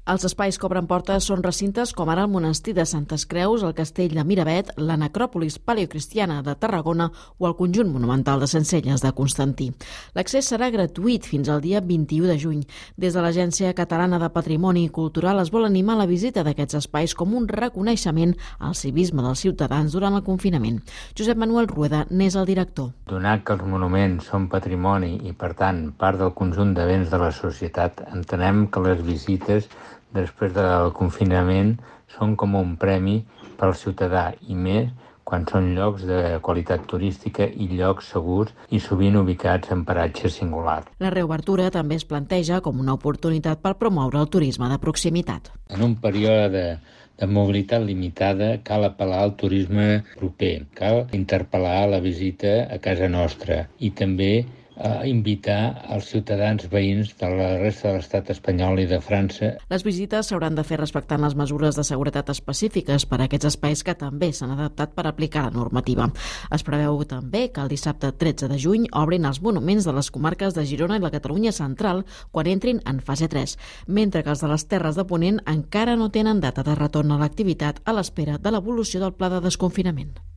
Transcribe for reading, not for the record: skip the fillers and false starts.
Els espais que obren portes són recintes com ara el monestir de Santes Creus, el castell de Miravet, la necròpolis paleocristiana de Tarragona o el conjunt monumental de Sencelles de Constantí. L'accés serà gratuït fins al dia 21 de juny. Des de l'Agència Catalana de Patrimoni Cultural es vol animar la visita d'aquests espais com un reconeixement al civisme dels ciutadans durant el confinament. Josep Manuel Rueda n'és el director. Donat que els monuments són patrimoni i, per tant, part del conjunt de béns de la societat, entenem que les visites després del confinament són com un premi pel ciutadà i més quan són llocs de qualitat turística i llocs segurs i sovint ubicats en paratges singulars. La reobertura també es planteja com una oportunitat per promoure el turisme de proximitat. En un període de mobilitat limitada cal apel·lar al turisme proper, cal interpel·lar la visita a casa nostra i també invitar els ciutadans veïns de la resta de l'estat espanyol i de França. Les visites s'hauran de fer respectant les mesures de seguretat específiques per a aquests espais que també s'han adaptat per aplicar la normativa. Es preveu també que el dissabte 13 de juny obrin els monuments de les comarques de Girona i la Catalunya central quan entrin en fase 3, mentre que els de les Terres de Ponent encara no tenen data de retorn a l'activitat a l'espera de l'evolució del pla de desconfinament.